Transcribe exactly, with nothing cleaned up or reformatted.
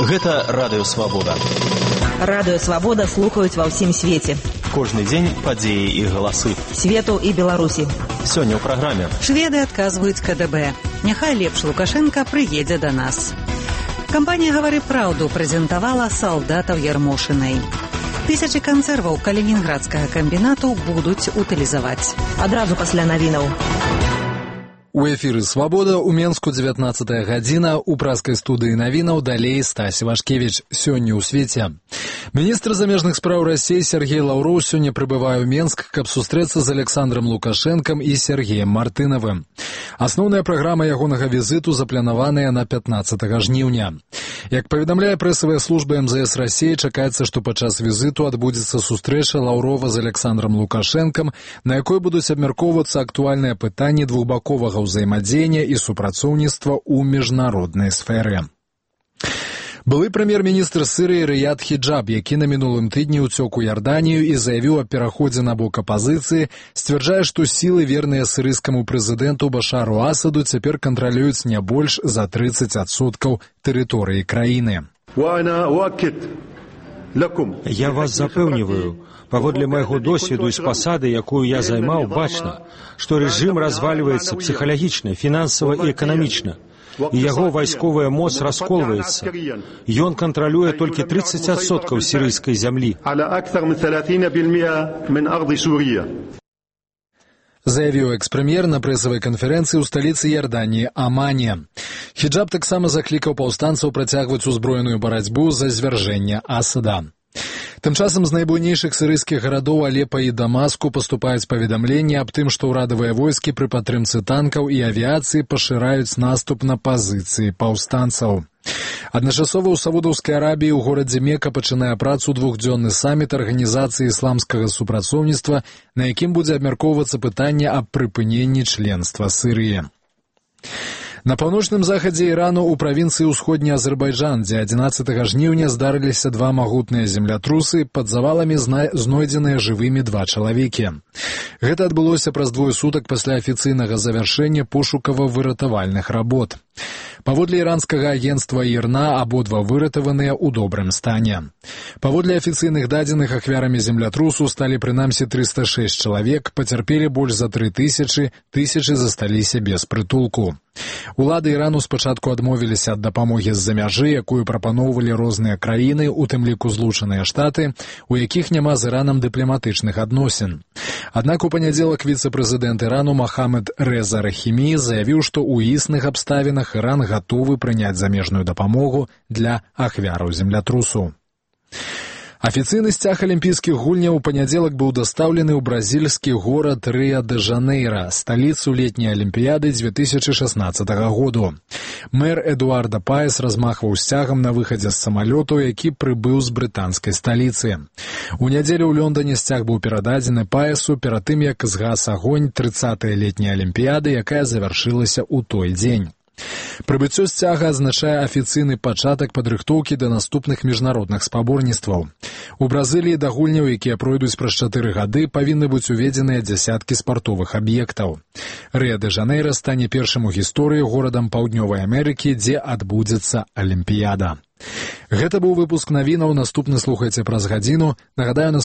Гэта Радыё Свабода. Радыё Свабода слухаюць ва ўсім свеце. Кожны дзень падзеі і галасы. Свету і Беларусі. Сёння ў праграме. Шведы адказваюць ка дэ бэ. Няхай лепш Лукашенка прыедзе да нас. Кампанія «Гавары праўду» прэзентавала салдатаў Ярмошынай. Тысячы кансерваў калінінградскага камбінату будуць утылізаваць. Адразу пасля навінаў. У эфіры «Свабода» у Менску дзевятнаццатая гадзіна, у праскай студыі навінаў далей Стась Вашкевіч. Сёння ў свеце. Міністр замежных спраў Расіі Сергей Лаўроў сёння прыбывае ў Менск, каб сустрэцца з Александром Лукашенкам і Сергеем Мартынавым. Асноўная праграма ягонага візіту запланаваная на пятнаццатага жніўня. Як паведамляе прэсавая служба эм зэ эс Расіі, чакаецца, што падчас візіту адбудзецца сустрэча Лаўрова з Александром Лукашенкам, на якой будуць абмяркоўвацца актуальныя пытанні двухбаковага ўзаемадзеяння і супрацоўніцтва ў міжнароднай сферы. Былы прэм'ер-міністр Сірыі Рыяд Хіджаб, які на мінулым тыдні ўцёк у Ярданію і заявіў аб пераходзе на бок апазіцыі, сцвярджае, што сілы, верныя сірыйскаму прэзідэнту Башару Асаду, цяпер кантралююць не больш за трыццаць адсоткаў тэрыторыі краіны. Я вас запэўніваю, паводле майго досведу і з пасады, якую я займаў, бачна, што рэжым развальваецца псіхалагічна, фінансава і эканамічна. І яго вайсковая моц расколваецца. Ён кантралюе толькі трыццаць адсоткаў сірыйскай зямлі. Заявіў экс-прэм'ер на прэсавай канферэнцыі ў сталіцы Ярданіі Амане. Хіджаб таксама заклікаў паўстанцаў працягваць узброеную барацьбу за звяржэнне Асада. Тым часам з найбуйнейшых сірыйскіх гарадоў Алепа і Дамаску паступаюць паведамленні аб тым, што ўрадавыя войскі пры падтрымцы танкаў і авіяцыі пашыраюць наступ на пазіцыі паўстанцаў. Адначасова ў Саудаўскай Арабіі ў горадзе Мека пачынае працу двухдзённы саміт Арганізацыі ісламскага супрацоўніцтва, на якім будзе абмяркоўвацца пытанне аб прыпыненні членства Сірыі. На паўночным захадзе Ірану ў правінцыі ўсходні Азербайджан, дзе адзінаццатага жніўня здарыліся два магутныя землятрусы, пад заваламі знойдзеныя жывымі два чалавекі. Гэта адбылося праз двое сутак пасля афіцыйнага завяршэння пошукава-выратавальных работ. Паводле іранскага агенцтва ІРНА абодва выратаваныя ў добрым стане. Паводле афіцыйных дадзеных ахвярамі землятрусу сталі прынамсі трыста шэсць чалавек, пацярпелі больш за тры тысячы, тысячы засталіся без прытулку. Улады Ірану спачатку адмовіліся ад дапамогі з-за мяжы, якую прапаноўвалі розныя краіны, у тым ліку Злучаныя Штаты, у якіх няма з Іранам дыпламатычных адносін. Аднак у панядзелак віцэ-прэзідэнт Ірану Махамед Рэза Рахімі заявіў, што ў існых абставінах Іран гатовы прыняць замежную дапамогу для ахвяраў землятрусу. Афіцыйны сцяг алімпійскіх гульняў у панядзелак быў дастаўлены ў бразільскі горад Рыа-дэ-Жанейра, сталіцу летняй алімпіяды дзве тысячы шаснаццатага году. Мэр Эдуарда Паес размахваў сцягам на выхадзе з самалёту, які прыбыў з брытанскай сталіцы. У нядзелю ў Лондоне сцяг быў перададзены Паесу перад тым, як згас агонь трыццатай летняй алімпіяды, якая завяршылася ў той дзень. Прыбыццё сцяга азначае афіцыйны пачатак падрыхтоўкі да наступных міжнародных спаборніцтваў. У Бразыліі да гульняў, якія пройдуць праз чатыры гады, павінны быць уведзеныя дзясяткі спартовых аб'ектаў. Рыа-дэ-Жанейра стане першым у гісторыі горадам Паўднёвай Амерыкі, дзе адбудзецца алімпіяда. Гэта быў выпуск навінаў, наступны слухайце праз гадзіну. Нагадаю, на